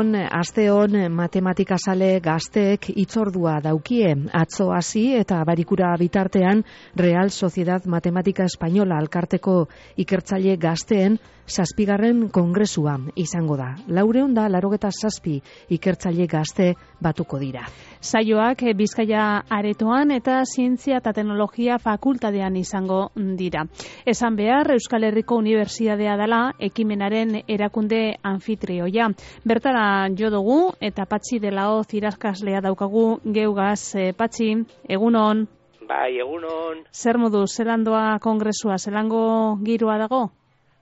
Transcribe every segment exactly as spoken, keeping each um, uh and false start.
Egunon, asteon matematikazale gazteek itzordua daukie. Atzo hasi eta barikura bitartean Real Sociedad Matematika Espainola alkarteko ikertzaile gazteen zazpigarren kongresua izango da. Laureun da larogeta zazpi ikertzaile gazte batuko dira. Saioak Bizkaia aretoan eta zientzia eta teknologia fakultatean izango dira. Esan behar, Euskal Herriko Unibertsitatea dela ekimenaren erakunde anfitrioia. Bertara jo dugu eta Patxi Delao irakaslea daukagu geugaz. E, Patxi, egunon. Bai, egunon. Zer modu, zelandoa kongresua, zelango giroa dago?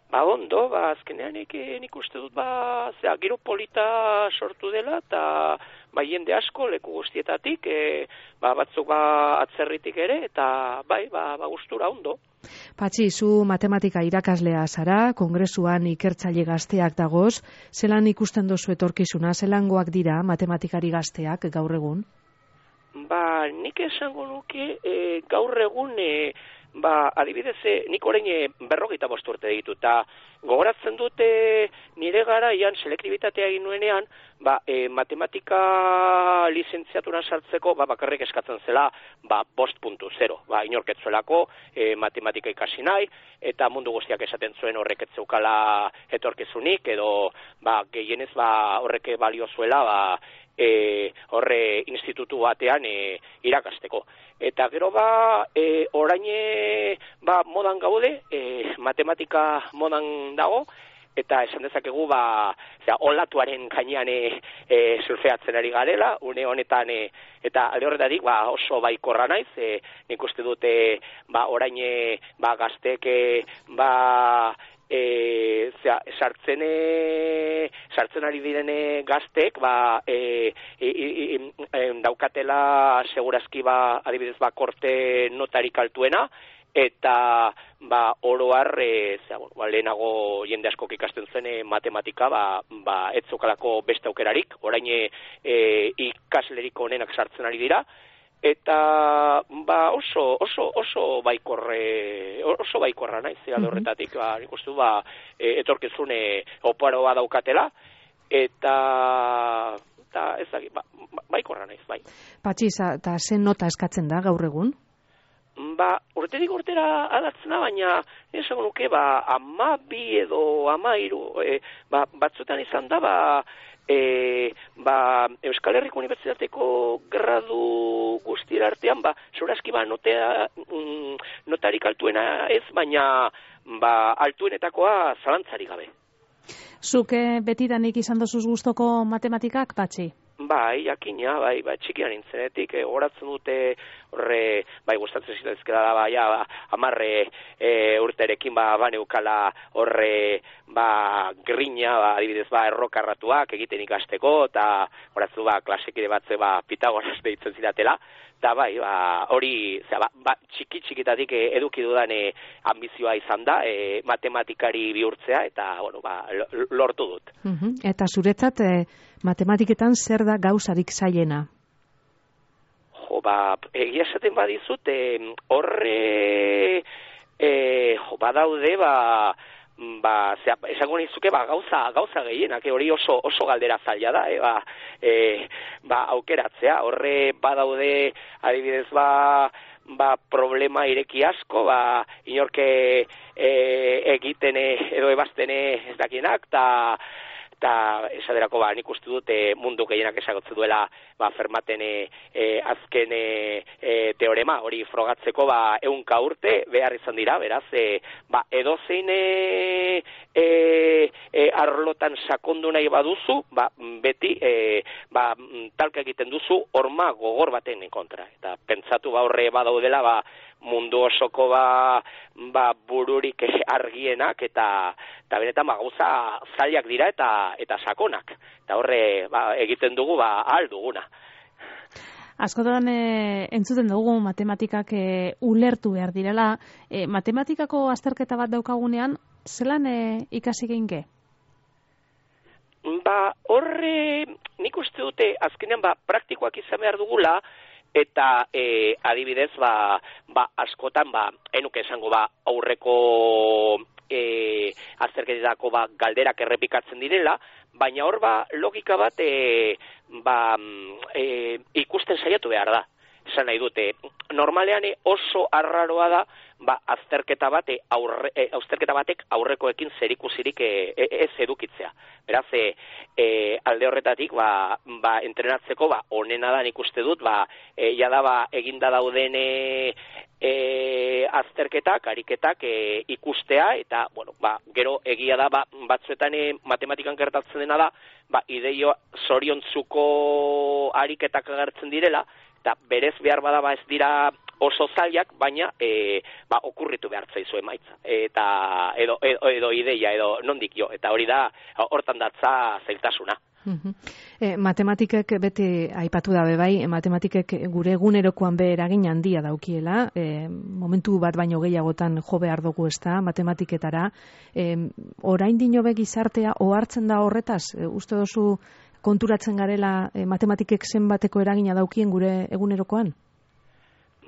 Ba, ondo, ba, azkenean nik, nik uste dut, ba, zera, giro polita sortu dela, eta ba, jende asko, leku guztietatik, e, ba, batzuk ba, atzerritik ere, eta bai, ba, ba, gustura ondo. Patxi, zu matematika irakaslea zara, kongresuan ikertzaile gazteak dagoz, zelan ikusten dozu etorkizuna, zelangoak dira matematikari gazteak gaur egun? Ba, nik esango nuke, e, gaur egun, e, ba, adibidez, nik orain berrogeita bost urte ditu, eta gogoratzen dute nire garaian selektibitatea egin nuenean, ba, e, matematika lizentziaturan sartzeko, ba, bakarrik eskatzen zela, ba, bost puntu zero, ba, inorketzuelako, e, matematika ikasi nahi, eta mundu guztiak esaten zuen horrek etzeukala etorkizunik, edo, ba, gehienez, ba, horrek balio zuela, ba, E, horre institutu batean e, irakasteko. Eta gero ba, e, orain e, ba, modan gaude, e, matematika modan dago, eta esan dezakegu ba, zera, olatuaren gainean e, e, surfeatzen ari garela, une honetan, e, eta alde horretatik ba, oso baikorra naiz, e, nik uste dute ba, orain e, ba, gazteek e, ba, E, zera, sartzen, e, sartzen ari direne gaztek, ba, e, e, e, e, daukatela segurazki ba, adibidez ba, korte notarik altuena, eta ba, oroar, e, zera, bueno, ba, lehenago jende askok ikasten zen e, matematika, ba, ba, etzokalako beste aukerarik, orain e, e, ikaslerik onenak sartzen ari dira, eta ba oso oso oso baikorre oso baikorra naiz alde horretatik, ba ikustu ba e, etorkizune oparoa daukatela eta eta ez dakit ba, baikorra naiz bai. Patxi, ta zen nota eskatzen da gaur egun? Ba, urterik urtera aldatzen da, baina esango nuke ba hamabi edo hamairu e, ba, batzuetan izan da ba E, ba, Euskal Herriko Unibertsitateko gradu guztira artean, ba, segurazki ba, notea, mm, notarik altuena ez, baina ba, altuenetakoa zalantzarik gabe. Zuke betidanik izan dozuz gustoko matematikak, Patxi? Bai, jakina, bai, bai, txikian nintzenetik, e, horatzen dute horre, bai, gustatzen zitezkela da, bai, ba, amarre e, urterekin, ba, baneukala horre, ba, grina, ba, adibidez, ba, errokarratuak egiten ikasteko, eta horatzu, ba, klasekide batze, ba, Pitagoras deitzen zidatela, eta bai, ba, hori, zera, ba, ba, txiki txikitatik e, eduki dudan e, ambizioa izan da, e, matematikari bihurtzea, eta, bueno, ba, lortu dut. Uh-huh. Eta zuretzat, e, matematiketan zer da gauzarik zailena? Jo, ba, egia esaten badizut, e, horre, e, jo, badaude, ba, ba, zera, esango nizuke, ba, gauza, gauza gehienak, e, hori oso, oso galdera zaila da, e, ba, e, ba, aukeratzea, horre badaude, adibidez, ba, ba, problema ireki asko, ba, inorke e, egiten e, edo ebaztene ez dakienak, eta eta esaterako ba, nik uste dut e, mundu gehienak esagotzen duela ba, Fermaten e, e, azken e, e, teorema hori frogatzeko ba, ehunka urte behar izan dira, beraz, e, ba, edozein e, e, e, arlotan sakondu nahi baduzu, ba, beti e, ba, talka egiten duzu horma gogor baten kontra. Eta pentsatu ba, horre badaudela ba, mundu osoko ba, ba bururik argienak eta eta benetan ba gauza zailak dira eta eta sakonak. Eta horre ba, egiten dugu ba ahal duguna. Askotan e, entzuten dugu matematikak e, ulertu behar direla. E, matematikako azterketa bat daukagunean, zelan e, ikasi geinke? Ba, horre nik uste dute azkenean ba praktikoak izan behar dugula. Eta e, adibidez, ba, ba, askotan, ba, enuke esango, ba, aurreko e, azterketetako ba, galderak errepikatzen direla, baina hor ba, logika bat e, ba, e, ikusten saiatu behar da. Esan nahi dute, normalean oso arraroa da, ba, azterketa bate aurre, e, azterketa batek aurrekoekin zerikusirik e, e, ez edukitzea. Beraz, e, e, alde horretatik, ba, ba, entrenatzeko, ba, onena da nik uste dut, ba, e, jada ba, eginda dauden e, e, azterketak, ariketak e, ikustea, eta, bueno, ba, gero egia da, ba, batzuetan e, matematikan gertatzen dena da, ba, ideio zoriontzuko ariketak agertzen direla, eta berez behar badaba ez dira oso zailak, baina e, ba, okurritu behar zaizu emaitza. Eta edo, edo, edo ideia, edo nondik jo. Eta hori da, hortan datza zailtasuna. Uh-huh. E, matematikek beti aipatu dabe bai, matematikek gure egunerokoan be eragin handia daukiela, e, momentu bat baino gehiagotan jo behar dugu ez da, matematiketara. E, orain dino be gizartea ohartzen da horretaz, e, uste dozu konturatzen garela e, matematikek zenbateko eragina daukien gure egunerokoan?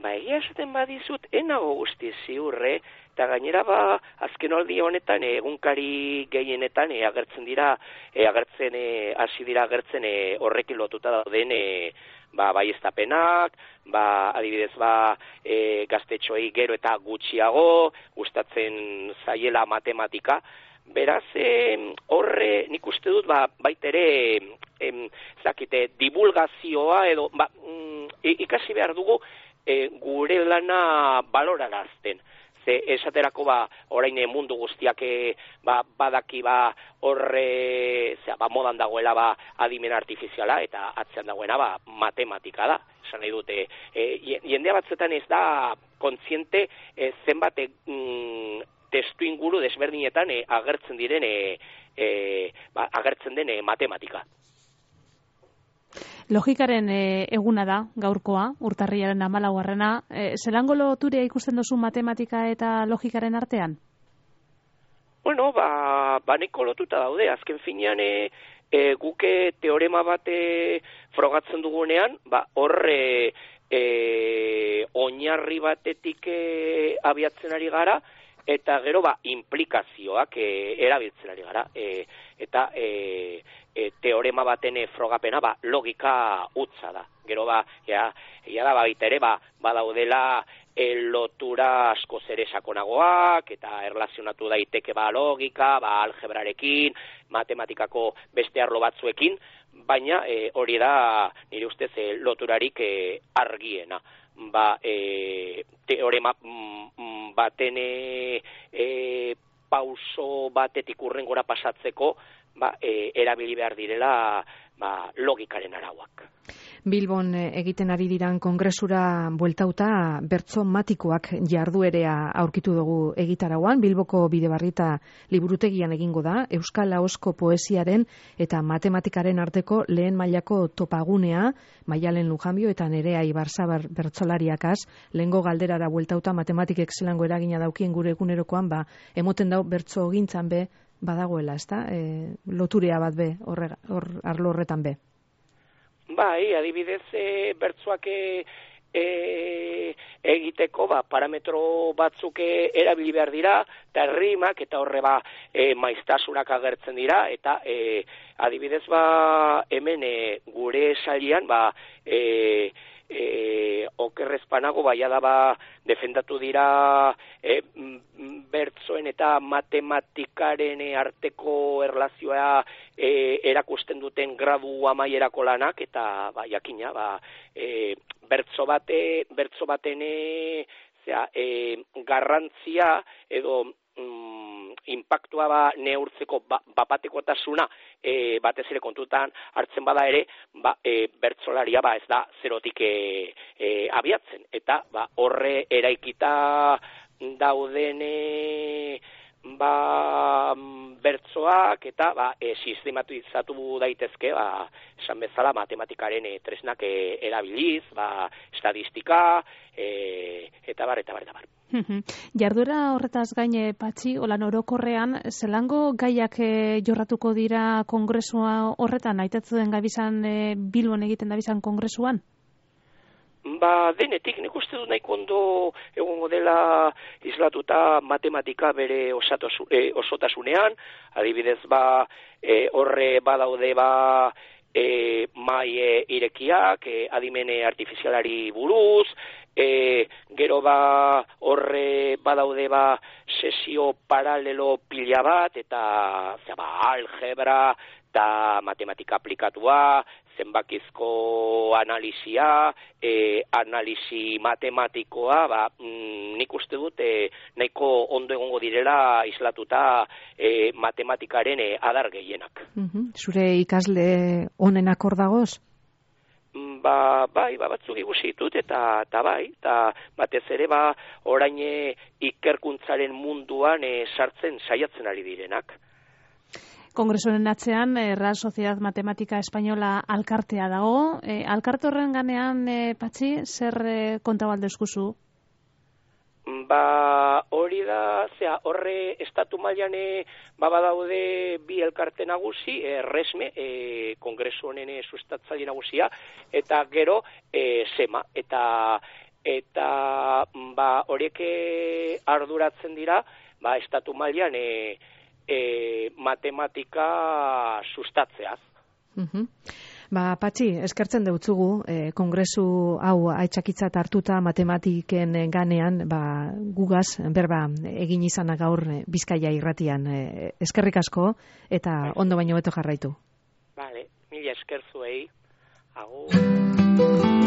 Ba, egia esaten badizut, enago guzti ziurre, eta gainera ba, azken aldi honetan, egunkari gehienetan, e, agertzen dira, e, agertzen, e, hasi dira agertzen e, horrekin lotuta dauden, e, ba, baieztapenak, ba, adibidez, ba, e, gaztetxoei gero eta gutxiago, gustatzen zaiela matematika. Beraz, e, horre nik uste dut, ba, baitere, em, zakite, divulgazioa edo, ba, mm, ikasi behar dugu, E, gure lana balorarazten. Ze esaterako ba, orain mundu guztiak e, ba, badaki ba, horre, zera, ba, modan dagoela ba, adimen artifiziala eta atzean dagoena ba, matematika da. Esan nahi dute, e, jendea batzuetan ez da kontziente e, zenbat e, mm, testu inguru desberdinetan e, agertzen diren e, e, ba, agertzen den e, matematika. Logikaren e, eguna da, gaurkoa, urtarrilaren hamalaugarrena. E, zelango loturia ikusten duzu matematika eta logikaren artean? Bueno, ba, baneko lotuta daude. Azken finean, e, e, guke teorema bate frogatzen dugunean, ba, horre e, oinarri batetik e, abiatzen ari gara, eta gero ba, implikazioak e, erabiltzen ari gara. E, eta... E, E, teorema baten frogapena ba, logika utza da. Gero ba, ja, ja da baita ere, ba, badaudela e, lotura asko zere sakonagoak, eta erlazionatu daiteke ba, logika, ba, algebrarekin, matematikako beste arlo batzuekin, baina e, hori da nire ustez e, loturarik e, argiena. Ba, e, teorema mm, baten e, e, pauso batetik urrengora pasatzeko, ba, e, erabili behar direla ba, logikaren arauak. Bilbon egiten ari diran kongresura bueltauta bertso matikoak jarduerea aurkitu dugu egitarauan. Bilboko Bidebarrieta liburutegian egingo da, Euskal Ahozko poesiaren eta matematikaren arteko lehen mailako topagunea, Maialen Lujanbio eta Nerea Ibarzabar bertsolariakaz, lehengo galderara bueltauta matematikek zelango eragina daukien gure egunerokoan, ba, emoten dau bertso gintzan be, badagoela, ezta? E, loturea bat be, horre, hor, arlo horretan be. Bai, adibidez, e, bertsoak e, e, egiteko ba, parametro batzuk erabili behar dira, eta rimak eta horre ba, e, maiztasunak agertzen dira, eta e, adibidez ba, hemen e, gure salian, ba, e, E, okerrezpanago baia da ba, defendatu dira e, bertsoen eta matematikaren arteko erlazioa e, erakusten duten gradu amaierako lanak, eta ba, jakina, ba, e, bertso bate, bertso baten e, zera, e, garrantzia edo mm, impactua ba, neurtzeko ba, bapatekotasuna e, batez ere kontutan hartzen bada ere, ba, e, bertsolaria ba, ez da zerotik e, e, abiatzen. Eta ba, horre eraikita dauden e, ba, bertsoak eta ba, e, sistematizatu daitezke, ba, esan bezala matematikaren e, tresnak e, erabiliz, ba, estadistika, e, eta bar, eta bar, eta bar. Jarduera horretaz gaine, Patxi, olan orokorrean, zelango gaiak e, jorratuko dira kongresua horretan, aitatzen gabizan e, Bilbon egiten dabizan kongresuan? ba, denetik, nik uste du nahiko ondo egongo dela islatuta matematika bere osatosu, e, osotasunean, adibidez, ba, e, horre badaude, ba, e, mai e, irekiak, e, adimene artifizialari buruz, e, gero ba, horre badaude, ba, sesio paralelo pila bat, eta, zera, ba, algebra, eta matematika aplikatua, zenbakizko analizia, e, analizi matematikoa, ba, mm, nik uste dut e, nahiko ondo egongo direla islatuta e, matematikaren e, adar gehienak. Uh-huh. Zure ikasle onenak hor dagoz? Ba, bai, ba, batzuk ikusi ditut, eta, eta bai, eta batez ere, ba, orain e, ikerkuntzaren munduan e, sartzen saiatzen ari direnak. Kongresuaren atzean, eh, Real Sociedad Matematika Espainola alkartea dago. Eh, alkarte horren ganean, eh, Patxi, zer eh, konta baldezkuzu? Ba, hori da, zera, horre estatu mailan ba, badaude bi elkarte nagusi, e, resme, e, kongresu honen e, sustatzaile nagusia, eta gero e, sema, eta eta ba, horiek arduratzen dira, ba, estatu mailan e, E, matematika sustatzeaz. Uh-huh. Ba, Patxi, eskertzen deutzugu, eh, kongresu hau aitzakitzat hartuta matematiken ganean, ba, gugaz, berba, egin izana gaur Bizkaia irratian. Eh, eskerrik asko, eta ondo baino beto jarraitu. Vale, mila esker zuei. Agur.